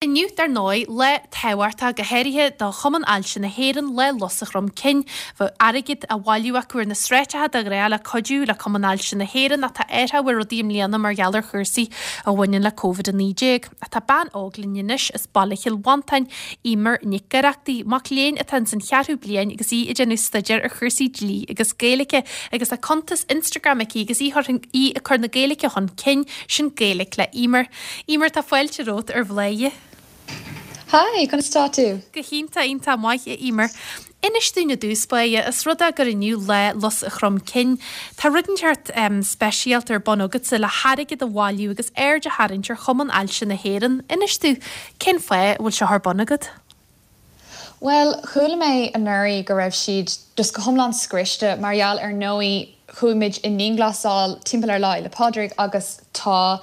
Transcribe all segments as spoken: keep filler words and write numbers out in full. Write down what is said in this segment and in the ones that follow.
Inniu, dar ndóigh, lá tábhachtach, go háirithe do Chumann Ailse na hÉireann, Lá Lus an Chromchinn. Bheadh airgead á bhailiú acu ar na sráideacha de ghnáth le cuidiú le Cumann Ailse na hÉireann ach tá athrú ar rudaí i mbliana mar gheall ar chúrsaí a bhaineann le Covid a naoi déag. Ach tá bean óg linn anois as baile Chill Mhantáin, Eimear Nic Oireachtaigh, mac léinn atá ins an cheathrú bliain agus í ag déanamh staidéir ar chúrsaí dlí agus Gaeilge agus tá cuntas Instagram aici agus í í ag cur na Gaeilge chun cinn, sin Gaeilge le Eimear. Eimear, tá fáilte romhat ar Bhladhaire. Hi, conas tá tú? Go hiontach iontach maith a Eimear. Inis dúinn i dtús báire, os rud é gur inniu Lá Lus an Chromchinn. Tá rud inteacht um, speisialta ar bun agatsa le hairgead a bhailiú agus aird a tharraingt ar Chumann Ailse na hÉireann. Inis dúinn cén fáth a bhfuil seo ar bun agat? Well, chuala mé anuraidh go raibh siad just go hiomlán scriosta mar gheall ar ndóigh chuaigh muid i ndianghlasáil timpeall ar Lá Fhéile Pádraig agus tá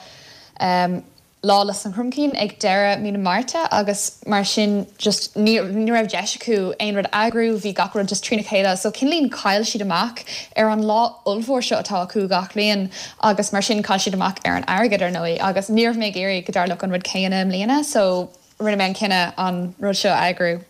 um, Lá Lus an Chromchinn ag deireadh mí na Márta agus mar sin just ní ní raibh deis acu aon rud a eagrú, bhí gach rud just trína chéile, so cineáilín chaill siad amach ar an lá ollmhór seo atá acu gach bliain agus mar sin chaill siad amach ar an airgead ar ndóigh agus ní raibh mé ag iarraidh go dtarlódh an rud céanna i mbliana, so rinne mé an cinneadh an rud seo a eagrú.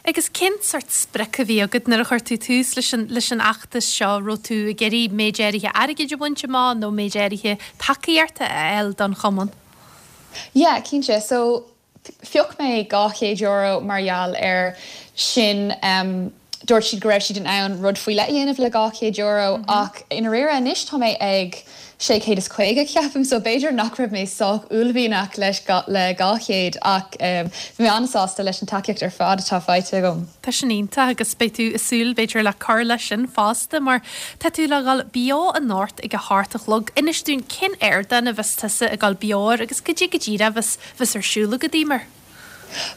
Agus cén sort sprioc a bhí agat nuair a chuir tú tús leis an leis an fheachtas seo raibh tú ag iarraidh méid áirithe airgid a bhaint amach nó méid áirithe tacaíochta a fháil don chumann? Yeah, cinnte so phioc mé dhá chéad euro mar gheall ar sin um, dúirt siad go raibh siad in ann rud faoi leith a dhéanamh le dhá chéad euro mm -hmm. ach i ndáiríre anois tá mé ag sé chéad is caoga ceapaim so b'fhéidir nach raibh mé sách uaillmhianach leis le dhá chéad ach um, bhí mé an-sásta leis an tacaíocht ar fad atá faighte agam. Tá sin iontach agus beidh tú ag súil b'fhéidir le cur leis sin fosta mar tá tú le dhul beo anocht ag a hocht a chlog. Inis dúinn cén ardán a bheas tusa ag dul beo air agus cad é go díreach a bheas bheas ar siúl agat Eimear.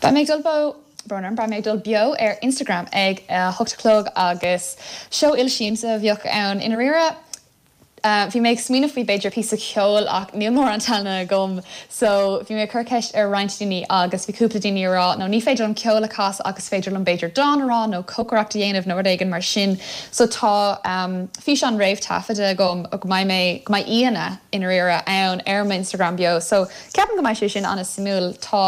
Beidh mé ag dul beo Brón beidh mé ag dul beo ar Instagram ag uh, hocht a chlog agus seó ilsiamsa a bheadh ann i ndáiríre Uh, bhí mé ag smaoineamh faoi b'fhéidir píosa ceoil ach níl mórán tallann agam, so bhí mé ag cur ceist ar roinnt daoine agus bhí cúpla daoine rá nó ní féidir liom ceol a chasadh agus féidir liom b'fhéidir dán a rá nó cócaireacht a dhéanamh nó rud éigin mar sin. So tá um, físeán réamhthaifeadta agam go mbeidh mé go mbeidh aíonna i ndáiríre ann ar mo Instagram beo. So ceapaim go mbeidh sé sin an-suimiúil tá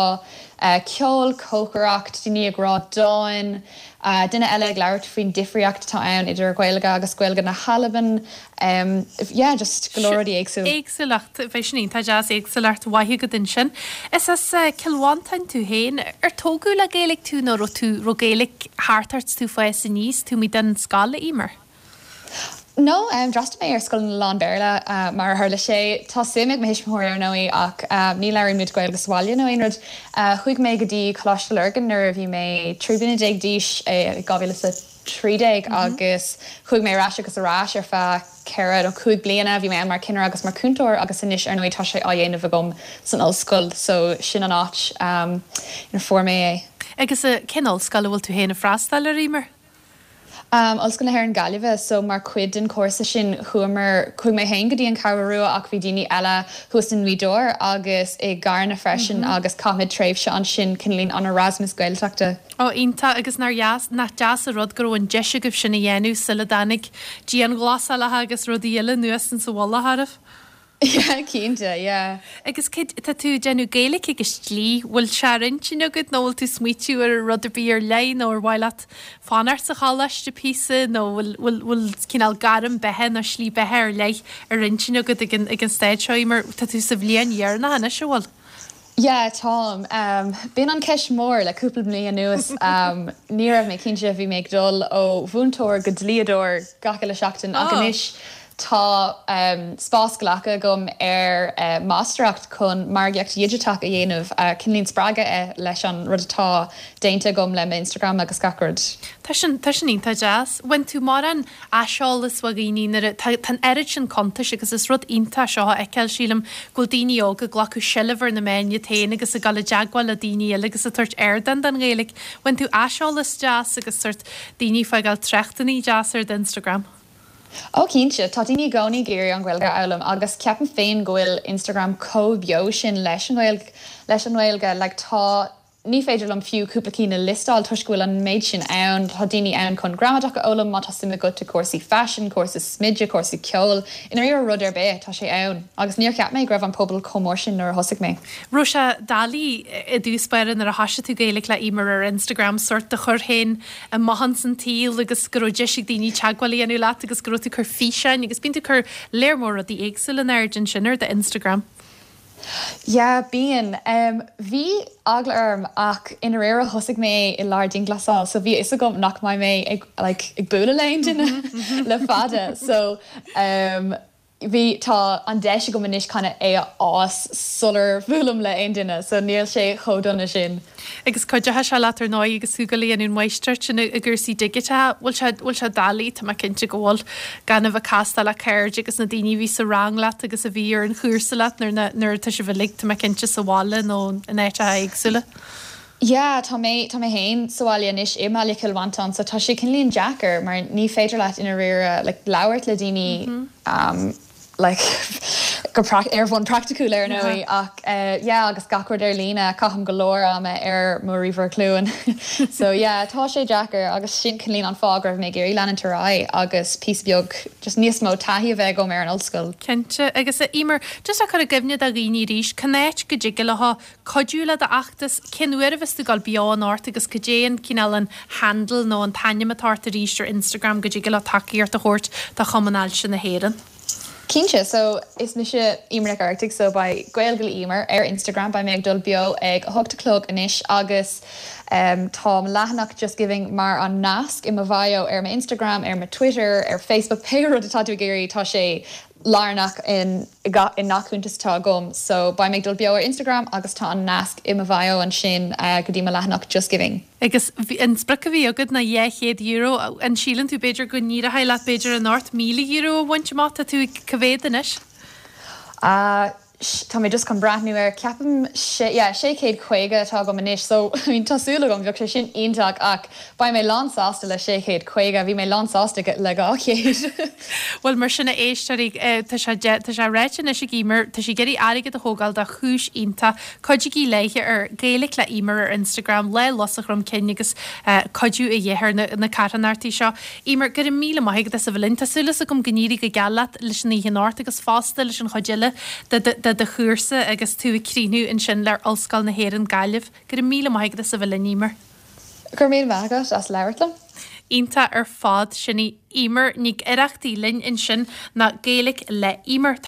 uh, ceol cócaireacht daoine ag rá dán, uh, duine eile ag labhairt faoin difríocht atá ann idir Gaeilge agus Gaeilge na hAlban. Um, yeah, just go leor rudaí éagsúil. Éagsúlacht bheidh sin iontach deas éagsúlacht mhaith agat ansin. Is as uh, Cill Mhantáin tú féin ar tógadh le Gaeilge tú nó raibh tú raibh Gaeilge thart ort tú fás aníos tú mí den scoil Eimear. No, um, d'fhreastail mé ar scoil lán-Bhéarla uh, mar a tharla sé tá suim ag mo thuismitheoirí ar ndóigh ach uh, ní labhraíonn muid Gaeilge sa bhaile nó aon rud. Uh, chuaigh mé go dtí Coláiste Lurgan nuair a bhí mé trí bliana déag d'aois dhá mhíle is a trí déag agus chuaigh mé ar ais agus ar ais ar feadh ceithre nó cúig bliana bhí mé mar chinneir agus mar chúntóir agus anois ar ndóigh tá sé á dhéanamh agam san ollscoil so sin an áit um, ina fuair mé é. Agus uh, cén ollscoil a bhfuil tú féin ag freastal air Eimear? Um, Ollscoil na hÉireann Gaillimh so mar chuid den chúrsa sin chuamar chuaigh mé féin go dtí an Cheathrú Rua ach bhí daoine eile thuas in Gaoth Dobhair agus i gCarna freisin mm -hmm. agus chaith muid tréimhse ansin cineáilín an Erasmus Gaeltachta. Ó iontach agus nach dheas nach deas an rud go raibh an deis agaibh sin a dhéanamh sula dtáinig dianghlasálacha agus rudaí eile anuas sa mhullach oraibh. Yeah, cinnte, yeah. Agus cad tá tú déanamh Gaeilge agus dlí, bhfuil sé ar intinn agat nó bhfuil tú smaoitiú ar rud ar bith ar leith nó ar mhaith leat fanacht sa choláiste píosa nó bhfuil bhfuil bhfuil cineál gairm beatha nó slí beatha ar leith ar intinn agat ag an ag an staid seo mar tá tú sa bhliain dheireanach anois an bhfuil. Yeah, táim. Um, B'in an ceist mór le cúpla bliain anuas um, ní raibh mé cinnte bhí mé ag dul ó mhúinteoir go dlíodóir gach uile seachtain ach oh. anois tá um, spás glactha agam ar uh, máistreacht chun margaíocht dhigiteach a dhéanamh uh, cineáilín spreagtha uh, leis an rud atá déanta agam le Instagram agus gach rud. Tá sin tá sin iontach deas. Bhain tú mar an aiseolas ó dhaoine nuair tá an oiread sin cuntais agus is rud iontach seo a fheiceáil sílim go bhfuil daoine óga ag glacadh seilbh ar na meáin féin agus ag dul i dteagmháil le daoine eile agus ag tabhairt ardán don Ghaeilge. Bhain tú aiseolas deas agus sort daoine ag fágáil tráchtanna deas ar Instagram. Ó cinnte tá daoine i gcónaí ag iarraidh an Ghaeilge a fhoghlaim agus ceapaim féin go bhfuil Instagram chomh beo sin leis an Ghaeilge leis an Ghaeilge like, tá ní féidir liom fiú cúpla cinn a liostáil toisc go bhfuil an méid sin ann tá daoine ann chun gramadach a fhoghlaim má tá suim agat i cúrsaí fashion, cúrsaí smididh, cúrsaí ceoil, i ndáiríre rud ar bith tá sé ann agus níor cheap mé go raibh an pobal chomh mór sin nuair a thosaigh mé. Raibh sé doiligh i dtús báire nuair a thosaigh tú Gaeilge le Emer ar Instagram sórt do chur féin amach san tsaol agus go raibh deis ag daoine teagmháil a dhéanamh leat agus go raibh tú ag cur físeáin agus bíonn tú ag cur léar mór rudaí éagsúla in airde ansin ar do Instagram. Yeah, bíonn. Um, bhí eagla orm ach i ndáiríre thosaigh mé i lár dianghlasáil, so bhí a fhios agam nach mbeidh mé ag like, ag bualadh le aon duine le fada. So um, bhí tá an deis agam anois kind of é a fhás sular bhuailim le aon duine, so níl sé chomh dona sin. Agus cuideoidh sé leat ar ndóigh agus tú ag déanamh máistreacht sin i gcúrsaí digiteacha, bhfuil sé bhfuil sé doiligh tá mé cinnte go bhfuil gan a bheith ag castáil le cairde agus na daoine a bhí sa rang leat agus a bhí ar an chúrsa leat nuair nuair atá sibh uilig tá mé cinnte sa bhaile nó in áiteacha éagsúla. Yeah, tá mé tá mé féin sa bhaile anois i mBaile Chill Mhantáin, so tá sé cineáilín deacair mar ní féidir leat i ndáiríre like, labhairt le daoine mm -hmm. um, like go ar bhonn praiticiúil ar ndóigh ach uh, yeah, agus gach rud ar líne caithim go leor ama ar mo ríomhaire glúine. so yeah, tá sé deacair agus sin cineáilín an fáth go raibh mé ag iarraidh leanúint ar aghaidh agus píosa beag just níos mó taithí a bheith agam ar an ollscoil. Cinnte agus a Emer just a chur i gcuimhne do dhaoine arís cá háit go dtig leo cuidiú le d'fheachtas cén uair a bheas tú ag dul beo anocht agus cad é an cineál an handle nó an t-ainm atá ort arís ar Instagram go dtig leo tacaíocht a thabhairt do Chumann Ailse na hÉireann. Cinnte, so is mise Emer Nic Oireachtaigh so beidh Gaeilge le Emer ar Instagram beidh mé ag dul beo ag a hocht a chlog anois agus um, tá leathanach Just Giving mar an nasc i mo bhio ar mo Instagram, ar mo Twitter, ar Facebook pé rud atá tú ag iarraidh tá sé lárnach in i ngach cuntas atá agam, so beidh mé ag dul beo ar Instagram agus tá an nasc i mo bhio ansin uh, go dtí mo leathanach Just Giving. Agus an sprioc a bhí agat ná dhá chéad euro an síleann tú b'fhéidir go n-éireoidh leat b'fhéidir anocht míle euro a bhaint amach tú cá mhéad anois? Uh, Tá mé just chun breathnú ar ceapaim sé chéad caoga atá agam anois, so I mean, tá súil agam bheadh sé sin iontach ach beidh mé lánsásta le sé chéad caoga, bhí mé lánsásta le dhá chéad. Well mar sin a éisteoirí tá sé tá sé ráite anois ag Emer tá sí ag iarraidh airgead a thógáil do chúis iontach cuidigí léi ar Gaeilge le Emer ar Instagram le Lus Chrom Cinn agus cuidiú a dhéanamh na, na carthanachtaí seo. Emer go raibh míle maith agat as a bheith linn Tá súil agam go n-éirí go geal leat leis an oíche anocht agus fosta leis an chuid eile de de chúrsa agus tú ag críochnú ansin le Ollscoil na hÉireann Gaillimh, go raibh míle maith agat as a bheith linn Emer. Gur mé agat as labhairt liom? Iontach ar fad sin í Emer Nic Oireachtaigh linn ansin ná Gaeilge le Emer.